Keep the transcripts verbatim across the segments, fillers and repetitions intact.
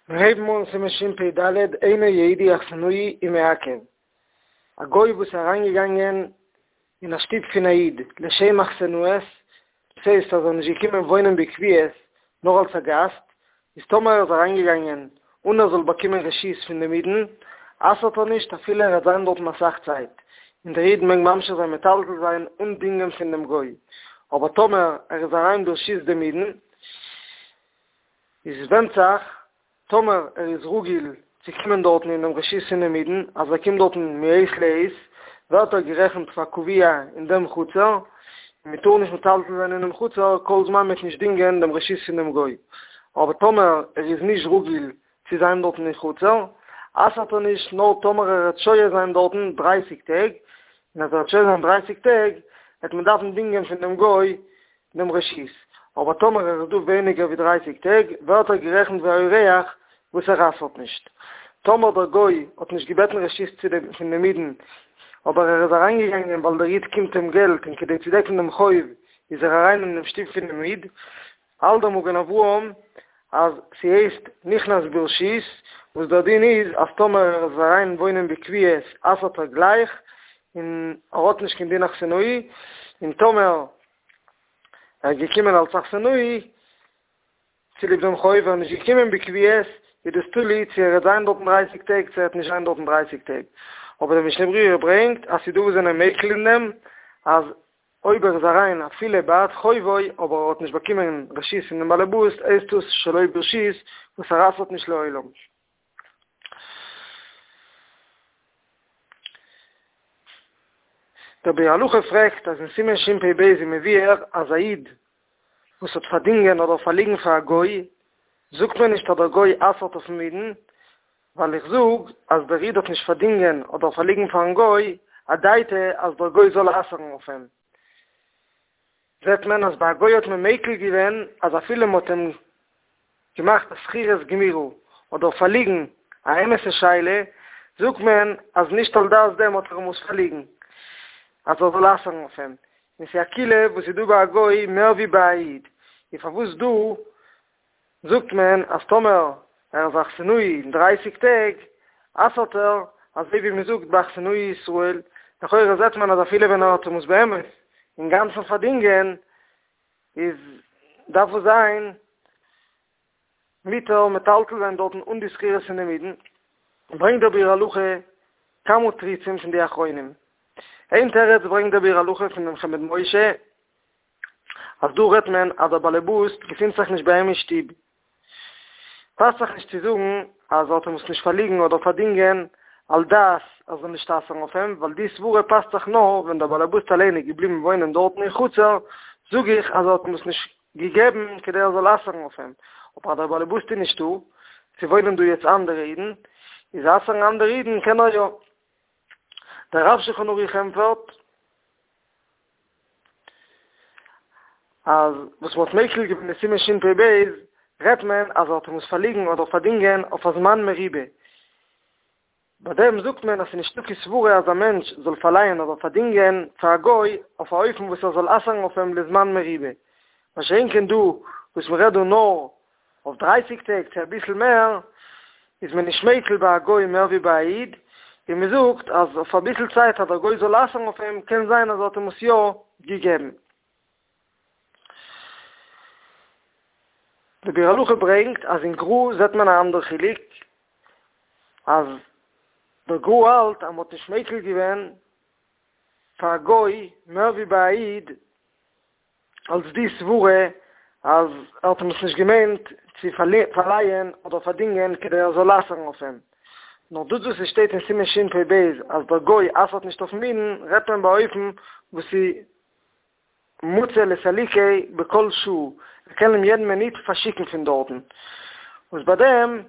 מיר הייבן אן סימן שפ"ד, אינו יהודי אכסנאי ומעכב, א גוי וואס איז אריינגעגאנגען אין א שטוב פון א איד לשם אכסנאות, דאס הייסט אז ער איז נישט געקומען וואוינען בקביעות נאר אלס א גאסט, איז טאמער ער איז אריינגעגאנגען אן ער זאל באקומען רשות פון דעם אידן, אסר'ט ער נישט אפילו ער וועט זיין דארטן אסאך צייט, און דער איד מעג ממשיך זיין מטלטל זיין אן דינגען פון דעם גוי, אבער טאמער ער איז אריין ברשות דעם אידן, איז ווענדט זיך טאמער ער איז רגיל צו קומען דארטן אין דעם רשות פונעם אידן, אז ער קומט דארטן מעת לעת, ווערט ער גערעכנט פאר קבוע אין דעם חצר, און מען טאר נישט מטלטל זיין אינעם חצר כל זמן מען וועט נישט דינגען דעם רשות פונעם גוי. אבער טאמער ער איז נישט רגיל צו זיין דארטן אין חצר, אסר'ט ער נישט נאר טאמער ער וועט שוהה זיין דארטן דרייסיג טעג, און אז ער וועט שוהה זיין דרייסיג טעג, וועט מען דארפן דינגען פון דעם גוי דעם רשות, אבער טאמער ער איז דא ווייניגער ווי דרייסיג טעג, ווערט ער גערעכנט ווי א אורח וואס ער אסר'ט נישט. טאמער דער גוי האט נישט געבעטן רשות צו דעם פון דעם אידן, אבער ער איז אריינגעגאנגען ווייל דער איד קומט אים געלט און כדי צו דעקן דעם חוב איז ער אריין אין דעם שטוב פונעם איד, האלט דער מגן אברהם אז ס'הייסט נכנס ברשות, וואס דער דין איז אז טאמער ער איז אריין וואוינען בקביעות אסר'ט ער גלייך און ער האט נישט קיין דין אכסנאי, און טאמער ער איז געקומען אלס אכסנאי צוליב דעם חוב, ער איז נישט געקומען בקביעות, איז דאס תלוי צו ער וועט זיין דארטן דרייסיג טעג צו ער וועט נישט זיין דארטן דרייסיג טעג. אבער דער משנה ברורה ברענגט אז ס'איז דא וואס זענען מיקל אין דעם אז אויב ער איז אריין אפילו בעד חובו אבער ער האט נישט באקומען רשות פון דעם באלעבאס הייסט דאס שלא ברשות וואס ער אסר'ט נישט לעולם. דער ביאור הלכה פרעגט אז אין סימן שפ"ב איז מבואר אז א איד וואס האט פארדינגען אדער פארליגן פאר א גוי זאגט מען נישט אז דער גוי אסר'ט אויפן אידן ווייל איך זאג אז דער איד האט נישט פארדינגען אדער פארליגן פארן גוי אדעתא אז דער גוי זאל אסר'ן אויף אים זעט מען אז ביי א גוי האט מען מיקל געווען אז אפילו מ'האט אים געמאכט א שכירות גמירה אדער פארליגן א אמת'ע שאלה, זאגט מען אז נישט על דעת דעם האט ער אים עס פארליגן אז ער זאל אסר'ן אויף אים, און ס'איז א קולא וואס איז דא ביי א גוי מער ווי ביי א איד, און פארוואס דא זאגט מען אז טאמער ער איז אכסנאי אין דרייסיג טעג אסר'ט ער, אזוי ווי מ'זאגט ביי אכסנאי ישראל, לכאורה זעט מען אז אפילו ווען ער האט אים עס באמת אינגאנצן פארדינגען איז דארף עס זיין מותר מטלטל זיין דארטן אן די שכירות פון דעם אידן, ברענגט דער ביאור הלכה כמה תירוצים פון די אחרונים. איין תירוץ ברענגט דער ביאור הלכה פון דעם חמד משה, אז דא רעדט מען אז דער באלעבאס געפינט זיך נישט ביי אים אין שטוב, פאסט זיך נישט צו זאגן אז ער האט אים עס נישט פארליגן אדער פארדינגען על דעת אז זאל נישט אסר'ן אויף אים, ווייל די סברה פאסט זיך נאר ווען דער באלעבאס אליין איז געבליבן וואוינען דארטן אין חצר, זאג איך אז ער האט אים עס נישט געגעבן כדי ער זאל אסר'ן אויף אים, אבער אז דער באלעבאס איז נישטא, ס'וואוינען דא יעצט אנדערע אידן, איז אסר'ן אנדערע אידן קען ער יא. דער רב שולחן ערוך ענטפערט. אז וואס מ'האט מיקל געווען אין סימן שפ"ב רעדט מען אז ער האט אים עס פארליגן אדער פארדינגען אויף א זמן מרובה, ביי דעם זאגט מען אז ס'איז נישטא קיין סברה אז א מענטש זאל פארלייען אדער פארדינגען פאר א גוי אויף א אופן וואס ער זאל אסר'ן אויף אים לזמן מרובה, מה שאין כן דא וואס מ'רעדט דא נאר אויף דרייסיג טעג צו אביסל מער, איז מען נישט מיקל ביי א גוי מער ווי ביי א איד, און מען זאגט אז אויף אביסל צייט אז דער גוי זאל אסר'ן אויף אים, קען זיין אז ער האט אים עס יא געגעבן. די ביאור הלכה ברענגט אז אין גר"א זעט מען א אנדער חילוק, אז דער גר"א האלט אז מען האט נישט מיקל געווען פאר א גוי מער ווי ביי א איד, אלס די סברה אז ער האט אים עס נישט געמיינט צו פארלייען אדער פארדינגען כדי ער זאל אסר'ן אויף אים, נאר דאס וואס עס שטייט אין סימן שפ"ב אז דער גוי אסר'ט נישט אויפן אידן רעדט מען באופן וואס איז מצוי לסלוקיה בכל שעה, ער קען אים יעדן מינוט פארשיקן פון דארטן, וואס ביי דעם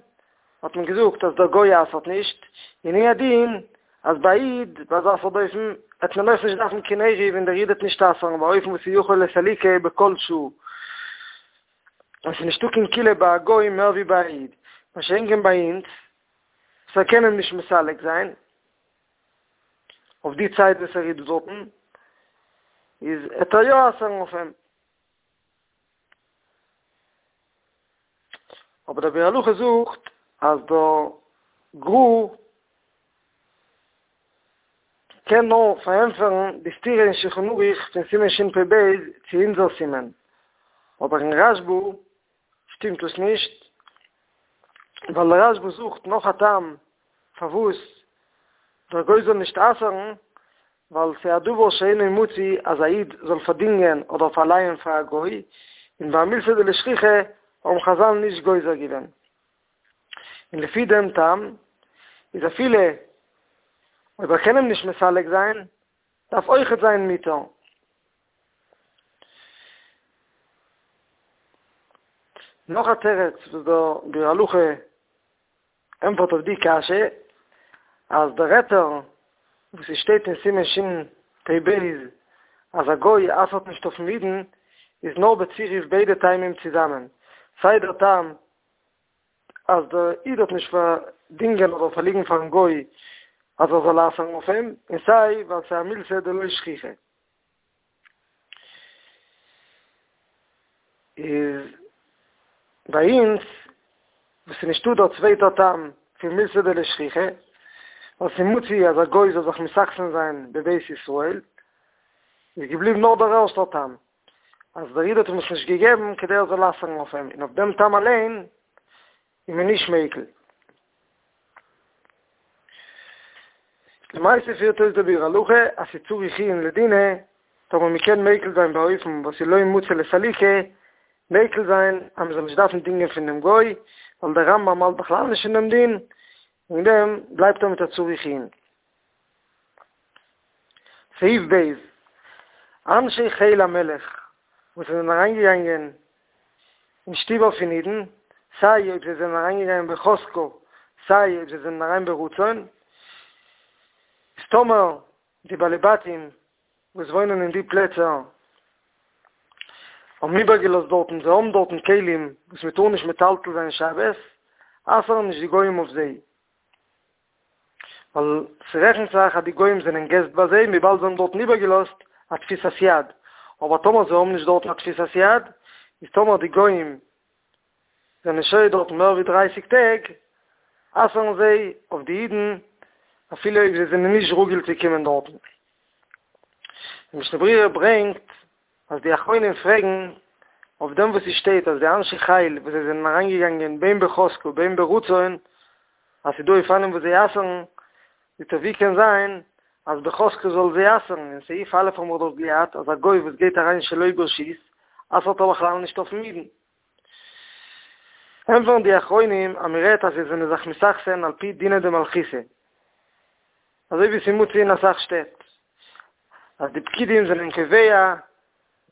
האט מען געזאגט אז דער גוי אסר'ט נישט, און הוא הדין אז ביי א איד ביי אזא סארט אופן וועט מען אויך נישט דארפן קיין עירוב און דער איד וועט נישט אסר'ן באופן וואס איז יכול לסלוקיה בכל שעה, און ס'איז נישטא קיין קולא ביי א גוי מער ווי ביי א איד, מה שאין כן ביי אונז וואס ער קען אים נישט מסלק זיין אויף די צייט וואס ער איז דא דארטן, איז וועט ער יא אסר'ן אויף אים. אבער דער ביאור הלכה זאגט אז דער גר"א קען נאר פארענטפערן די סתירה אין שולחן ערוך פון סימן שפ"ב צו אונזער סימן, אבער אין רשב"א שטימט עס נישט, ווייל דער רשב"א זוכט נאך א טעם פארוואס דער גוי זאל נישט אסר'ן, ווייל ס'איז א דבר שאינו מצוי אז א איד זאל פארדינגען אדער פארלייען פאר א גוי, און ביי א מילתא דלא שכיחא האבן חז"ל נישט גוזר געווען. און לפי דעם טעם איז אפילו אויב ער קען אים נישט מסלק זיין, דארף אויכעט זיין מותר. נאך א תירוץ וואס דער ביאור הלכה ענטפערט אויף די קשיא, אז דער היתר וואס עס שטייט אין סימן שפ"ב אז א גוי אסר'ט נישט אויפ'ן אידן, איז נאר בצירוף ביידע טעמים צוזאמען, סיי דער טעם אז דער איד האט נישט פארדינגען אדער פארליגן פאר'ן גוי אז ער זאל אסר'ן אויף אים, און סיי ווייל ס'איז א מילתא דלא שכיחא. איז ביי אונז וואס ס'איז נישטא דער צווייטער טעם פון מילתא דלא שכיחא, ווייל ס'איז מצוי אז א גוי זאל זיך מתאכסן זיין בבית ישראל, איז געבליבן נאר דער ערשטער טעם, אז דער איד האט אים עס נישט געגעבן כדי ער זאל אסר'ן אויף אים, און אויף דעם טעם אליין איז מען נישט מיקל. למעשה פירט אויס דער ביאור הלכה אז ס'איז צריך עיון לדינא, טאמער מ'קען מיקל זיין באופן וואס איז לא מצי לסלוקי, מיקל זיין אז מ'זאל נישט דארפן דינגען פון דעם גוי, ווייל דער רמב"ם האלט בכלל נישט אין דעם דין, וועגן דעם בלייבט ער מיט א צריך עיון. סעיף ב', אנשי חיל המלך וואס זענען אריינגעגאנגען אין שטיבער פון אידן, סיי אויב זיי זענען אריינגעגאנגען בחזקה, סיי אויב זיי זענען אריין ברצון, איז טאמער די בעלי בתים וואס וואוינען אין די פלעצער האבן איבערגעלאזט דארטן, זיי האבן דארטן כלים וואס מען טאר נישט מטלטל זיין שבת, אסר'ן נישט די גויים אויף זיי. ווייל ס'רעכנט זיך אז די גוים זענען געסט ביי זיי וויבאלד זיי האבן דארטן איבערגעלאזט א תפיסת יד, אבער טאמער זיי האבן נישט דארטן א תפיסת יד, איז טאמער די גוים זענען שוהה דארטן מער ווי דרייסיג טעג, אסר'ן זיי אויף די אידן אפילו אויב זיי זענען נישט רגיל צו קומען דארטן. די משנה ברורה ברענגט אז די אחרונים פרעגן אויף דעם וואס ס'שטייט אז די אנשי חיל וואס זיי זענען אריינגעגאנגען בין בחזקה בין ברצון אז ס'דא אופנים וואס זיי אסר'ן, זאגט ער ווי קען זיין אז בחזקה זאל זיי אסר'ן, אין סעיף א' האבן מיר דאך געהאט אז א גוי וואס גייט אריין שלא ברשות אסר'ט ער בכלל נישט אויפ'ן אידן. ענטפערן די אחרונים אז מ'רעדט אז זיי זענען זיך מתאכסן על פי דינא דמלכותא, אזוי ווי ס'מצוי אין אסאך שטעט אז די פקידים זענען קובע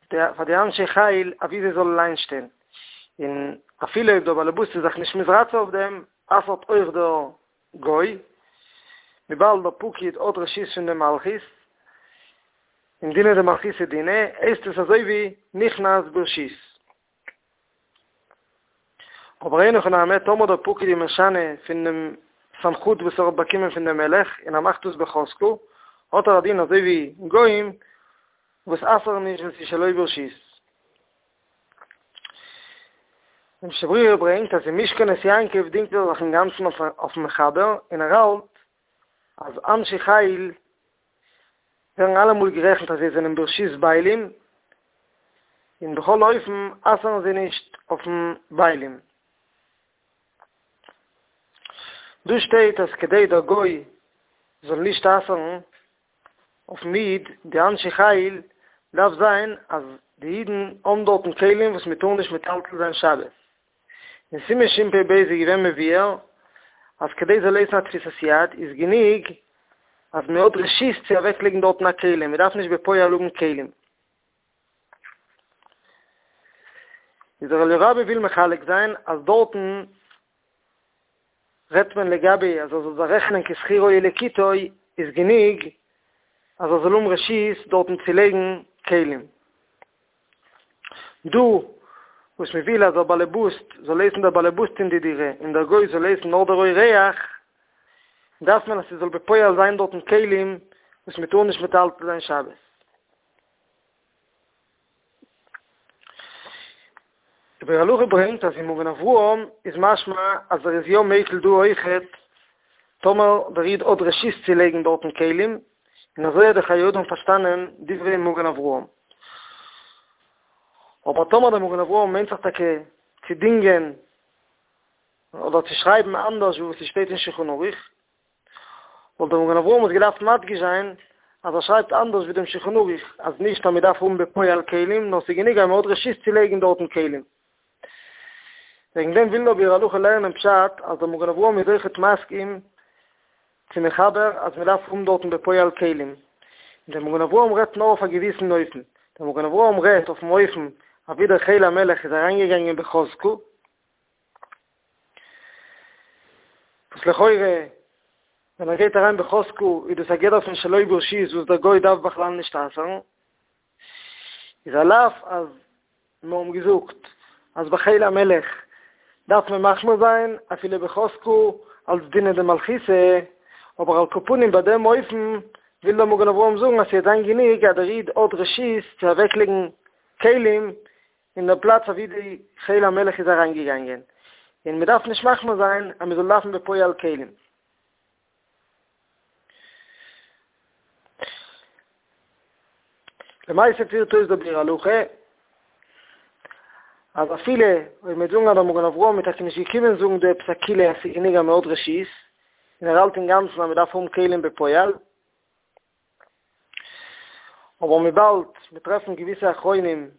פאר די אנשי חיל אווי זיי זאלן איינשטיין, און אפילו אויב דער באלעבאס איז זיך נישט מתרצה אויף דעם, אסר'ט אויך דער גוי, וויבאלד דער פקיד האט רשות פון די מלכות, און דינא דמלכותא דינא, הייסט עס אזוי ווי נכנס ברשות. אבער אין הכי נמי, טאמער דער פקיד איז משנה פון דעם סמכות וואס ער האט באקומען פון דעם מלך און ער מאכט דאס בחזקה, האט ער א דין אזוי ווי גוים וואס אסר'ן נישט ווען ס'איז שלא ברשות. די משנה ברורה ברענגט אז אין משכנות יעקב דינגט ער זיך אינגאנצן אויפ'ן מחבר און ער האלט אז אנשי חיל ווערן אלעמאל גערעכנט אז זיי זענען ברשות בעלים, און בכל אופן אסר'ן זיי נישט אויפ'ן בעלים. דא שטייט אז כדי דער גוי זאל נישט אסר'ן אויפ'ן איד, די אנשי חיל, דארף זיין אז די אידן האבן דארטן כלים וואס מען טאר נישט מטלטל זיין שבת. אין סימן שפ"ב איז געווען מבואר אז כדי זאל הייסן א תפיסת יד איז גענוג אז מען האט רשות צו אוועקלייגן דארטן א כלי, מען דארף נישט בפועל האבן כלים. איז דער אליה רבה וויל מחלק זיין אז דארטן רעדט מען לגבי אז ער זאל זיך רעכענען כשכירו ולקיטו איז גענוג אז ער זאל האבן רשות דארטן צו לייגן כלים. דא וואס מען וויל אז דער באלעבוסט זאל הייסן דער באלעבוסט אין די דירה און דער גוי זאל הייסן נאר דער אורח, דארף מען אז ס'זאל בפועל זיין דארטן כלים וואס מען טאר נישט מטלטל זיין שבת. דער ביאור הלכה ברענגט אז אין מגן אברהם איז משמע אז ער איז יא מיקל דא אויכעט טאמער דער איד האט רשות צו לייגן דארטן כלים, און אזוי האט דער חיי אדם פארשטאנען דברי מגן אברהם. אבער טאמער דער מגן אברהם מיינט זיך טאקע צו דינגען אדער צו שרייבן אנדערש ווי וואס ס'שטייט אין שולחן ערוך, וואלט דער מגן אברהם עס געדארפט מדגיש זיין אז ער שרייבט אנדערש ווי דעם שולחן ערוך, אז נישט אז מ'דארף האבן בפועל כלים, נאר ס'איז גענוג אז מ'האט רשות צו לייגן דארטן כלים. וועגן דעם וויל דער ביאור הלכה לערנען פשט אז דער מגן אברהם איז אויכעט מסכים צום מחבר אז מ'דארף האבן דארטן בפועל כלים. און דער מגן אברהם רעדט נאר אויף א געוויסן אופן. דער מגן אברהם רעדט אויפן אופן אווי דער חיל המלך איז אריינגעגאנגען בחזקה, וואס לכאורה ווען ער גייט אריין בחזקה איז דאס א גדר פון שלא ברשות וואס דער גוי דארף בכלל נישט אסר'ן, איז על אף אז מיר האבן געזאגט אז בחיל המלך דארף מען מחמיר זיין אפילו בחזקה אלס דינא דמלכותא, אבער על כל פנים ביי דעם אופן וויל דער מגן אברהם זאגן אז ס'וועט זיין גענוג אז דער איד האט רשות צו אוועקלייגן כלים אין דער פלאץ אוואו די חיל המלך איז אריינגעגאנגען, און מ'דארף נישט מחמיר זיין אז מ'זאל דארפן בפועל כלים. למעשה פירט אויס דער ביאור הלכה אז אפילו אויב מ'וועט זאגן אז דער מגן אברהם איז טאקע נישט געקומען זאגן דא עפעס א קולא אז ס'איז גענוג אז מ'האט רשות, און ער האלט אינגאנצן אז מ'דארף האבן כלים בפועל, אבער וויבאלד מיר טרעפן געוויסע אחרונים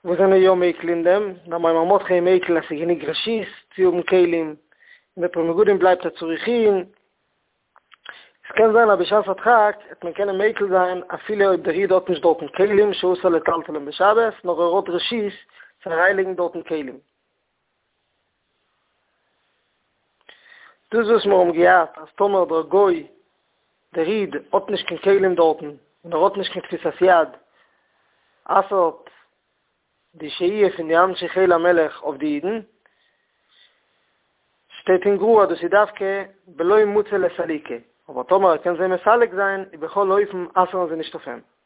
וואס זענען יא מיקל אין דעם, דער מאמר מרדכי איז מיקל אז ס'איז גענוג רשות צו האבן כלים, און דער פרי מגדים בלייבט א צריך עיון. עס קען זיין אז בשעת הדחק העט מען קענען מיקל זיין אפילו אויב דער איד האט נישט דארטן כלים שאסור לטלטלם בשבת, נאר ער האט רשות צו אריינלייגן דארטן כלים. דאס וואס מיר האבן געהאט אז טאמער דער גוי, דער איד, האט נישט קיין כלים דארטן, און ער האט נישט קיין תפיסת יד, אסר'ט די שהייה פון די אנשי חיל המלך אויף די אידן, שטייט אין גר"א אז דאס איז דווקא בלא מצי לסלוקי, אבער טאמער ער קען זיי מסלק זיין, איז בכל אופן אסר'ן זיי נישט אויף אים.